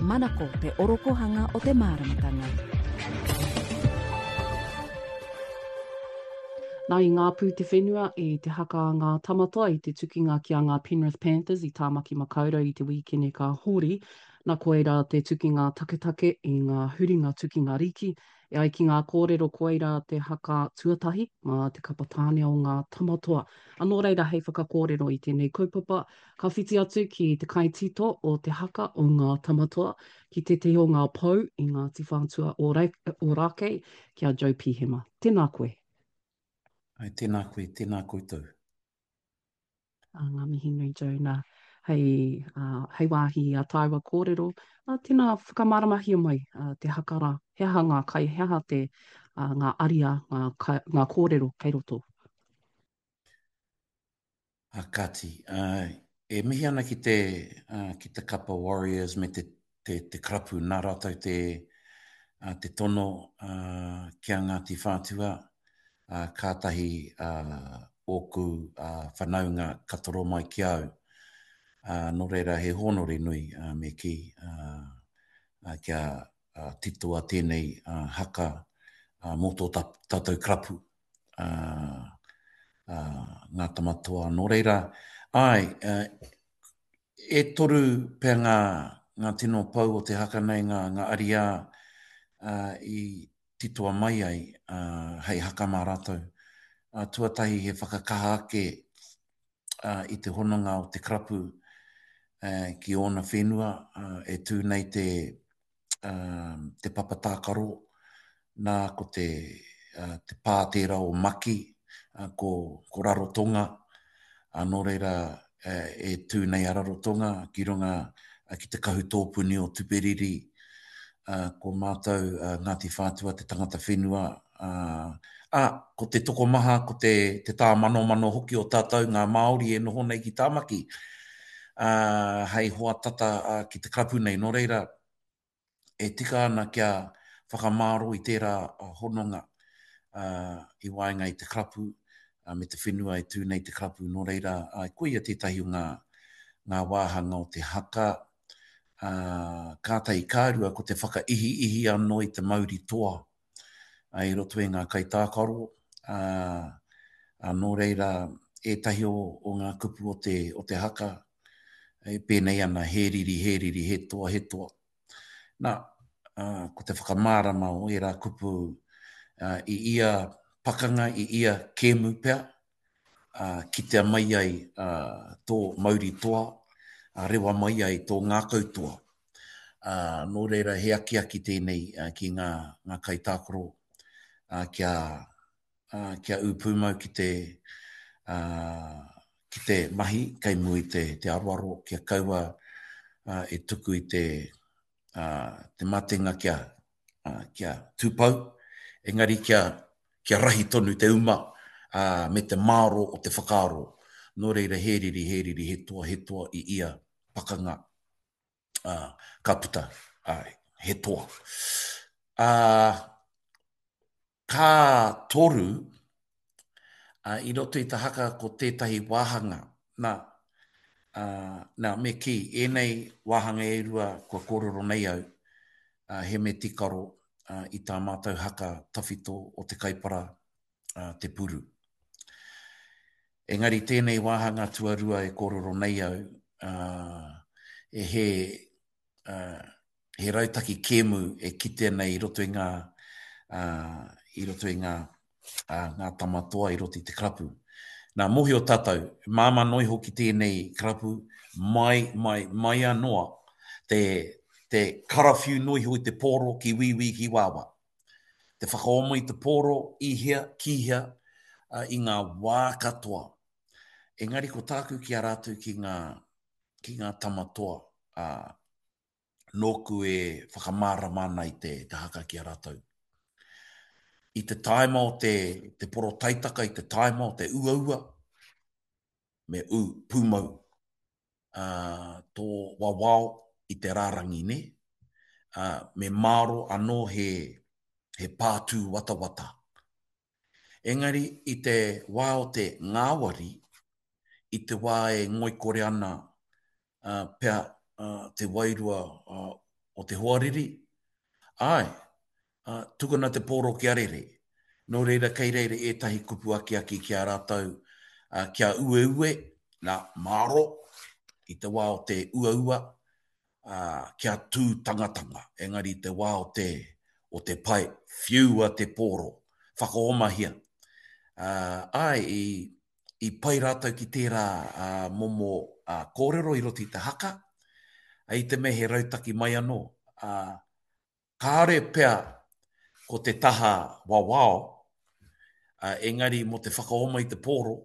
Manako te orokohanga o te māramatanga. Nā i ngā pū te whenua i te haka a ngā Tamatoa i te tukinga ki a ngā Penrith Panthers i Tāmaki Makaurau i te wīkene ka hori, na koirā te tukinga taketake i ngā huringa tukinga riki E ai ki ngā kōrero koirā te haka tuatahi mā te kapa tāne o ngā Tamatoa. A nō reira hei whakakōrero i tēnei kaupapa, ka whiti atu ki te kaitito o te haka o ngā Tamatoa, ki tētehi o ngā pou i Ngāti Whātua Ōrākei, ki a Joe Pihema. Tēnā koe. Ai, tēnā koe, tēnā koutou. Ā, ngā mihi nui Jonah, hei, ā, hei wāhi i a tāua kōrero. Ā, tēnā, whakamāramahia mai ā, te haka rā. He aha ngā kai, he aha te, ā, ngā ariā, ngā, kai, ngā kōrero kei roto? Ā, kāti, ā, e mihi ana ki te, ā, ki te kapa Warriors me te, te, te karapu, nā rātou te, ā, te tono, ā, ki a Ngāti Whātua, ā, kātahi, ā, ōku, ā, whanaunga ka toro mai ki a au. Ā, nō reira he hōnore nui, ā, me kī, ā, ā, kia, ā, titoa tēnei, ā, haka, ā, mō tō tā, tātou karapu, ā, ā, ngā tama toa. Nō reira, āe, ā, e toru pea ngā, ngā tino pou o te haka nei, ngā, ngā ariā, ā, i titoa mai ai, ā, hei haka mā rātou. Ā, tuatahi he whakakaha ake, ā, i te hononga o te karapu, ā, ki ōna whenua, ā, e tū nei te, ā, te papa tākaro, nā ko te, ā, te pā tērā o Maki, ā, ko, ko Rarotonga, ā, nō reira, ā, e tū nei a Rarotonga ki runga, ā, ki te kahu tōpuni o Tuperiri, ā, ko mātou, ā, Ngāti Whātua te tangata whenua, ā, ā, ko te tokomaha, ko te, te tāmanomano hoki o tātou ngā Māori e noho nei ki Tāmaki, ā, hei hoa tata, ā, ki te karapu nei. Nō reira, e tika ana kia whakamāro i tērā hononga, ā, i waenga i te karapu, ā, me te whenua e tū nei te karapu. Nō reira, ā, koia tētahi o ngā, ngā wāhanga o te haka, ā, kātahi ka rua ko te whakaihiihi anō i te mauri toa ā, i roto i ngā kaitākaro, ā, ā, nō reira ētahi o, o ngā kupu o te, o te haka e pēnei ana, he riri, he riri, he toa, he toa. Nā, ā, ko te whakamārama o ērā kupu ā, i ia pakanga, i ia kēmu pea, ā, kitea mai ai ā, tō mauri toa, ā, rewa mai ai tō ngākau toa. Ā, nō reira he akiaki tēnei ā, ki ngā, ngā kaitākaro ā, kia, ā, kia ū pūmau ki te, ā, ki te mahi kei mua i te, te aroaro, kia kaua ā, e tuku i te, ā, te matenga kia, ā, kia tūpou, engari kia, kia rahi tonu te uma, ā, me te māro o te whakaaro. Nō reira, he riri, he riri, he toa, he toa i ia pakanga, ā, ka puta, āe, he toa. Ā, ka toru, ā, i roto i te haka ko tētahi wāhanga, nā, ā, nā, me kī, ēnei wāhanga e rua kua kōrero nei au, ā, he me tikaro, ā, i tā mātou haka tawhito o Te Kaipara, ā, Te Puru. Engari tēnei wāhanga tuarua e kōrero nei au, ā, e he, ā, he rautaki kēmu e kitea nei i roto i ngā, ā, i roto i ngā, ā, ngā tama toa i roto i te karapu. Nā, mōhio tātou, māmā noa iho ki tēnei karapu, mai, mai, mai anoa, te, te karawhiu noa iho i te pōro ki wīwī ki wāwā. Te whakaoma i te pōro i hea, ki hea, ā, i ngā wā katoa. Engari ko tāku ki a rātou ki ngā, ki ngā tama toa, ā, nōku e whakamārama ana i te, te haka ki a rātou. I te tāima o te, te porotaitaka, i te tāima o te uaua, me ū pūmau ā, tō wawao i te rārangi, nē? Ā, me māro anō he, he pātū watawata. Engari i te wā o te ngāwari, i te wā e ngoikore ana pea te wairua. o te hoariri, āe, ā, tukuna te pōro kia rere. Nō reira kei reira ētahi kupu akiaki ki a rātou, ā, kia ueue, nā, mārō, i te wā o te uaua, ā, kia tū tangatanga, engari i te wā o te, o te pae, whiua te pōro, whakaomahia. Ā, āe, i, i pai rātou ki tērā ā, momo ā, kōrero i roto i te haka, ā, i te mea he rautaki mai anō, ā, Kāore pea ko te taha wawao, engari mō te whakaoma i te pōro,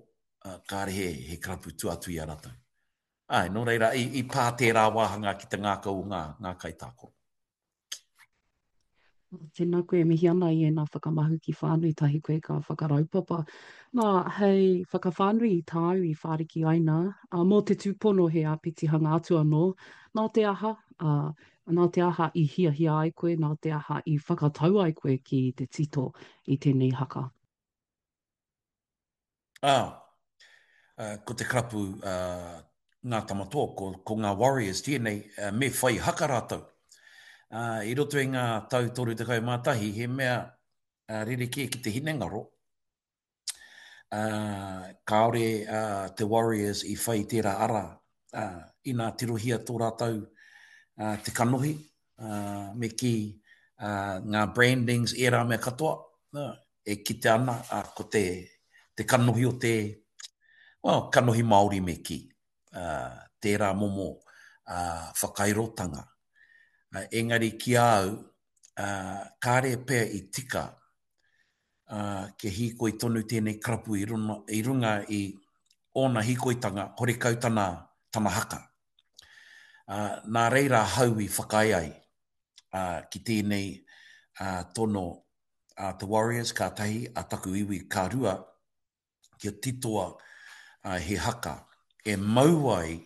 kāre he, he karapu tua atu i a rātou. Āe, nō reira, i, i pā tērā wāhanga ki te ngākau o ngā, ngā kaitākaro. Tēnā koe e mihi ana i ēnā whakamahuki whānui tahi koe ka whakaraupapa. Nā, hei whakawhānui i tāu i whāriki ai nā, ā, mō te tūpono he āpitihanga atu anō, nā te aha, ā, Nā te aha i hiahia ai koe, nā te aha i whakatau ai koe ki te tito i tēnei haka? Ā, ko te karapu Ngā Tamatoa, ko, ko ngā Warriors tēnei, me whai haka rātou. I roto i ngā tau 31, he mea rerekē ki te hinengaro, ā, kāore te Warriors i whai i tērā ara, ā, inā tirohia tō rātou te kanohi, ā, me kī, ā, ngā brandings, ērā mea katoa, ā, e kite ana, ā, ko te, te kanohi o te, well, kanohi Māori me kī, ā, tērā momo, ā, whakairotanga. Ā, engari ki a au, ā, kāre pea i tika ā, kia hīkoi tonu tēnei karapu i runa, i runga i ōna hīkoitanga, horekau tana, tana haka. Ā, nā reira ahau i whakaae ai, ā, ki tēnei, ā, tono a te Warriors ka tahi, a taku iwi ka rua, kia titoa he haka e mau ai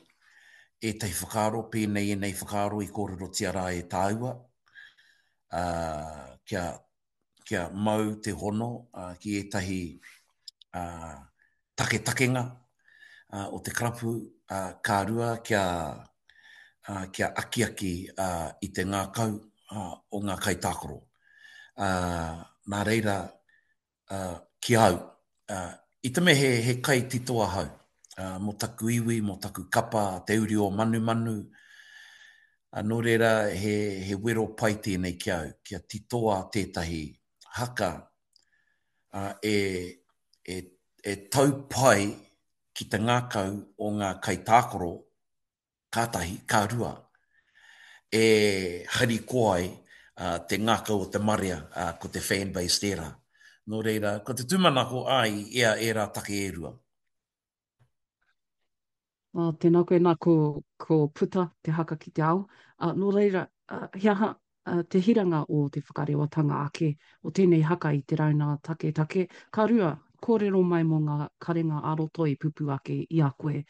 ētahi whakaaro pēnei ēnei whakaaro i kōrerotia rā e tāua, ā, kia, kia mau te hono ki ētahi ā, taketakenga ā, o te karapu, ā, ka rua kia, ā, kia akiaki ā, i te ngākau ā, o ngā kaitākaro. Ā, nā reira, ki au, i te mea he, he kaitito ahau, mō taku iwi, mō taku kapa, te uri o Manumanu, nō reira he, he wero pai tēnei ki au, kia titoa tētahi haka e, e, e tau pai ki te ngākau o ngā kaitākaro Ka tahi, ka rua, e harikoa ai te ngākau o te marea, ko te fan base tērā. Nō reira, ko te tūmanako, āe, i ea ērā take e rua. Ā, tēnā koe, nā, ko, ko puta te haka ki te ao. Ā, nō reira, he aha te hiranga o te whakarewatanga ake o tēnei haka i te rauna taketake. Ka rua, kōrero mai mō ngā karenga ā-roto i pupū ake i a koe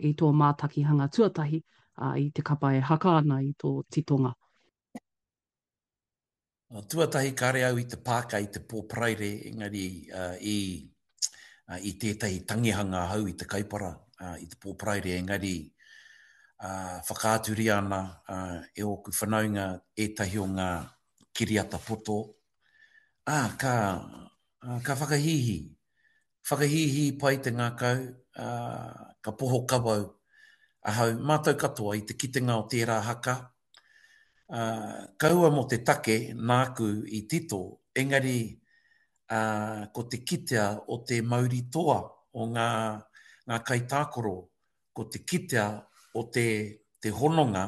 i tō mātakihanga tuatahi, ā, i te kapa e haka ana i tō titonga. Tuatahi kāre au i te pāka i te pō Paraire engari i i tētahi tangihanga ahau i te Kaipara i te pō Paraire engari whakaaturia ana e ōku whanaunga ētahi o ngā kiriata poto, ā, ka, ka whakahīhī. Whakahīhī pai te ngākau, ā, ka poho kawau ahau, mātou katoa i te kitenga o tērā haka, ā, kaua mō te take nāku i tito, engari, ā, ko te kitea o te mauri toa o ngā, ngā kaitākaro, ko te kitea o te, te hononga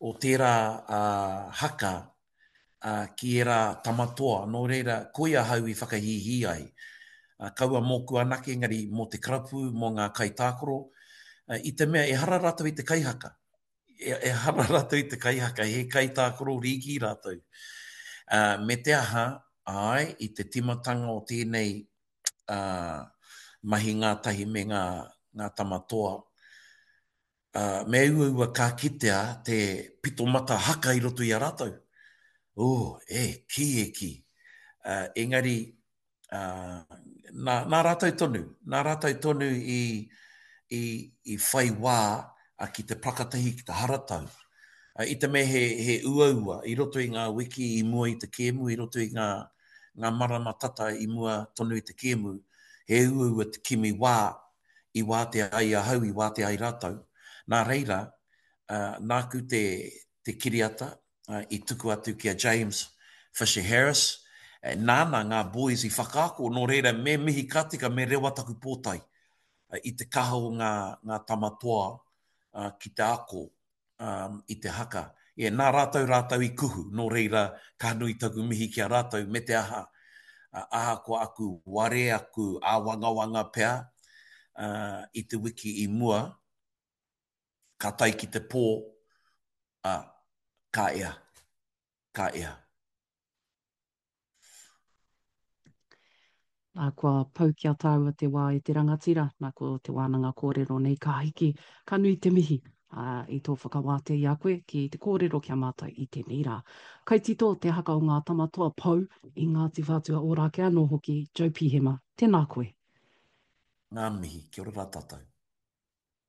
o tērā haka ki ērā tama toa, nō reira, koia ahau i whakahīhī ai. Kaua mōku anake, engari mō te karapu, mō ngā kaitākaro, i te mea ehara rātou i te kaihaka. Ehara rātou i te kaihaka, he kaitākaro rīki rātou. Me te aha, āe, i te timatanga o tēnei mahi ngātahi me ngā, ngā tama toa, ā, me uaua ka kitea te pito mata haka i roto i a rātou. Ū, e kī, e kī. Ā, engari, ā, nā, nā rātou tonu, nā rātou tonu i, i, i whai wā ki te prakatahi, ki te haratau. I te mea he, he uaua i roto i ngā wiki i mua i te kēmu, i roto i ngā, ngā marama tata i mua tonu i te kēmu, he uaua te kimi wā i wātea ai ahau, i wātea ai rātou. Nā reira, nāku te, te kiriata i tuku atu ki a James Fisher Harris, nāna ngā boys i whakaako, nō reira me mihi ka tika, me rewa taku pōtae i te kaha o ngā, ngā tama toa ki te ako i te haka. Yeah, nā rātou rātou i kuhu, nō reira ka nui taku mihi ki a rātou, me te aha, ahakoa aku ware, aku āwangawanga pea i te wiki i mua, ka tae ki te pō, ā, ka ea, ka ea. Nā, kua pau ki a tāua te wā e te rangatira, nā, ko te wānanga kōrero nei ka hiki, ka nui te mihi, ā, i tō whakawātea i a koe ki te kōrero ki a mātou i tēnei rā. Kaitito te haka o ngā tama toa pou i Ngāti Whātua Ōrākei anō hoki, Joe Pihema, tēnā koe. Ngā mihi, kia ora rā tātou.